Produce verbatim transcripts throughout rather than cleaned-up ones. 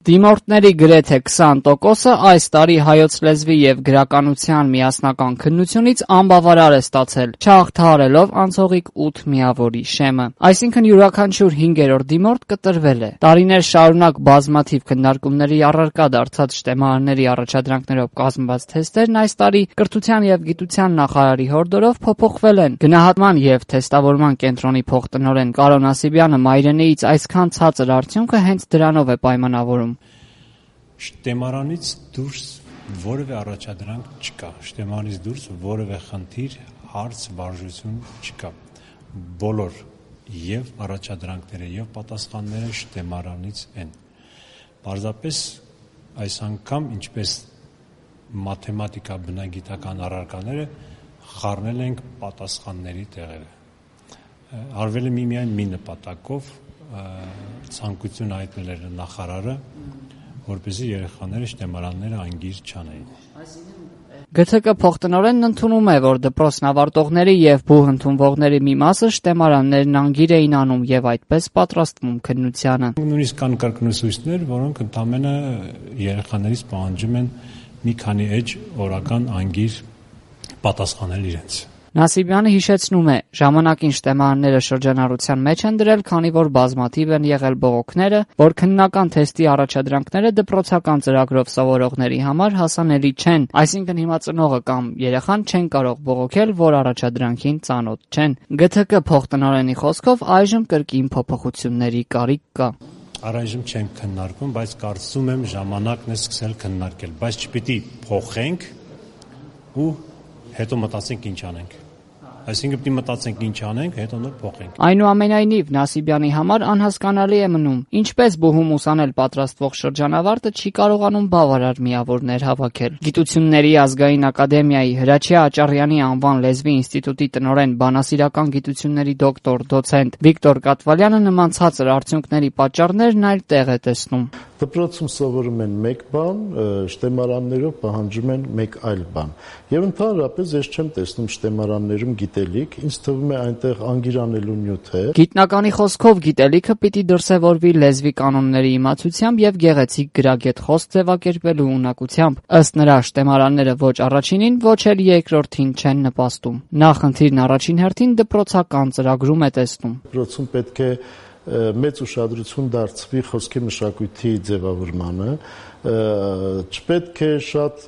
Դիմորդների գրեթե քսան տոկոսը այս տարի հայոց լեզվի և գրականության միասնական քննությունից անբավարար է ստացել, չհաղթահարելով անցողիկ ութ միավորի շեմը։ Այսինքն յուրաքանչյուր հինգերորդ դիմորդ կտրվել է։ Տարիներ շարունակ բազմաթիվ քննարկումների առարկա դարձած շտեմարանների առաջադրանքներով կազմված թեստերն այս տարի կրթության և գիտության նախարարի հորդորով փոփոխվել են։ Գնահատման և թեստավորման կենտրոնի փոխտնօրեն Կարո Նասիբյանը մայրենեից այսքան ցածր արդյունքը հենց դրանով է պայմանավորում։ Շտեմարանից դուրս որևէ առաջադրանք չկա, շտեմարանից դուրս որևէ խնդիր, հարց, վարժություն չկա։ Բոլոր եւ առաջադրանքները եւ պատասխանները շտեմարանից են։ Պարզապես այս անգամ, ինչպես մաթեմատիկա բնագիտական առարկաները, խառնել ենք պատասխանների տեղերը։ Արվել է միմիայն մի նպատակով, ցանկություն հայտնել էր նախարարը, որպեսզի երեխաները շտեմարանները անգիր չանեին։ Գ Თ Կ փոխտնօրենն ընդունում է, որ դպրոցն ավարտողների եւ բուհ ընդունվողների մի մասը շտեմարաններն անգիր էին անում եւ այդպես պատրաստվում քննությանը։ Նույնիսկ կան կրկնուսույցներ, որոնք ընդամենը երեխաներից պահանջում են մի քանի էջ օրական անգիր պատասխանել իրենց։ Նասիբյանը հիշեցնում է, ժամանակին շտեմարանները շրջանառության մեջ են դրել, քանի որ բազմաթիվ են եղել բողոքները, որ քննական թեստի առաջադրանքները դպրոցական ծրագրով սովորողների համար հասանելի չեն, այսինքն հիմա ծնողը կամ երեխան չեն կարող բողոքել, որ առաջադրանքին ծանոթ չեն։ Գ Თ Կ փոխտնօրենի խոսքով այժմ կրկին փոփոխությունների կարիք կա։ Առայժմ չեմ քննարկում, բայց կարծում եմ ժամանակն է սկսել քննարկել, բայց չպիտի փոխենք ու հետո մտածենք ինչ անենք։ Այսինքն պիտի մտածենք ինչ անենք, հետո նոր փոխենք։ Այնուամենայնիվ Նասիբյանի համար անհասկանալի է մնում, ինչպես բուհում ուսանել պատրաստվող շրջանավարտը չի կարողանում բավարար միավորներ հավաքել։ Գիտությունների ազգային ակադեմիայի Հրաչյա Աճառյանի անվան լեզվի ինստիտուտի տնօրեն բանասիրական գիտությունների դոկտոր դոցենտ Վիկտոր Կատվալյանը նման ցածր արդյունքների պատճառներն այլ տեղ է տեսնում։ Դպրոցում սովորում են մեկ բան, շտեմարաններով պահանջում են մեկ այլ բան։ Եվ ընդհանրապես ես չեմ տեսնում շտեմարաններում գիտելիք, ինձ թվում է այնտեղ անգիրանելու նյութ է։ Գիտնականի խոսքով գիտելիքը պիտի դրսևորվի լեզվի կանոնների իմացությամբ եւ գեղեցիկ գրագետ խոսք ձևակերպելու ունակությամբ։ Ըստ նրա շտեմարանները ոչ առաջինին, ոչ էլ երկրորդին չեն նպաստում։ Նա խնդիրն առաջին հերթին դպրոցական ծրագրում է տեսնում։ Դպրոցում պետք է մեծ ուշադրություն դարձվի խոսքի մշակույթի ձևավորմանը, չպետք է շատ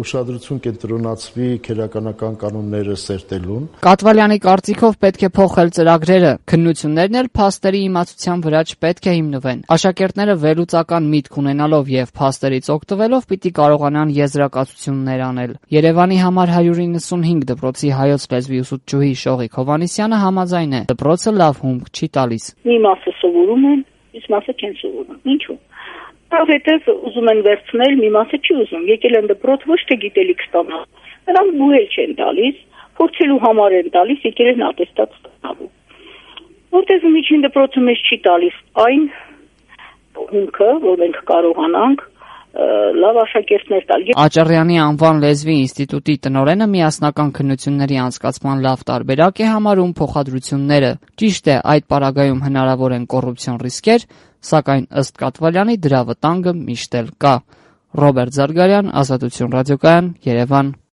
ուշադրություն կենտրոնացվի քերականական կանոնները սերտելուն։ Կատվալյանի կարծիքով պետք է փոխել ծրագրերը, քննություններն էլ փաստերի իմացության վրա չպետք է հիմնվեն։ Աշակերտները վերլուծական միտք ունենալով եւ փաստերից օգտվելով պիտի կարողանան եզրակացություններ անել։ Երևանի համար հարյուր իննսունհինգ դպրոցի հայոց լեզվի ուսուցչուհի Շողիկ Հովհաննիսյանը համաձայն է, դպրոցը լավ հումք չի տալիս։ Մի մասը սովորում են, իսկ մասը չեն սովորում։ Ինչու՞։ Որովհետև ուզում են վերցնել, մի մասը չի ուզում։ Եկել են դպրոց ոչ թե գիտելիք ստանալ, նրանք բուհել չեն տալիս, փորձելու համար են տալիս, եկել են ատեստատ ստանալու։ Որտեղ միջին դպրոցը մեզ չի տալիս այն հումքը, որ մենք կարողանանք լավ աշակերտներ տալ։ Աճառյանի անվան լեզվի ինստիտուտի տնօրենը միասնական քննությունների անցկացման լավ տարբերակ է համարում փոխադրությունները։ Ճիշտ է, այդ պարագայում հնարավոր են կոռուպցիոն ռիսկեր, սակայն ըստ Կատվալյանի դրա վտանգը միշտ էլ կա։ Ռոբերտ Զարգարյան, Ազատություն ռադիոկայան, Երևան։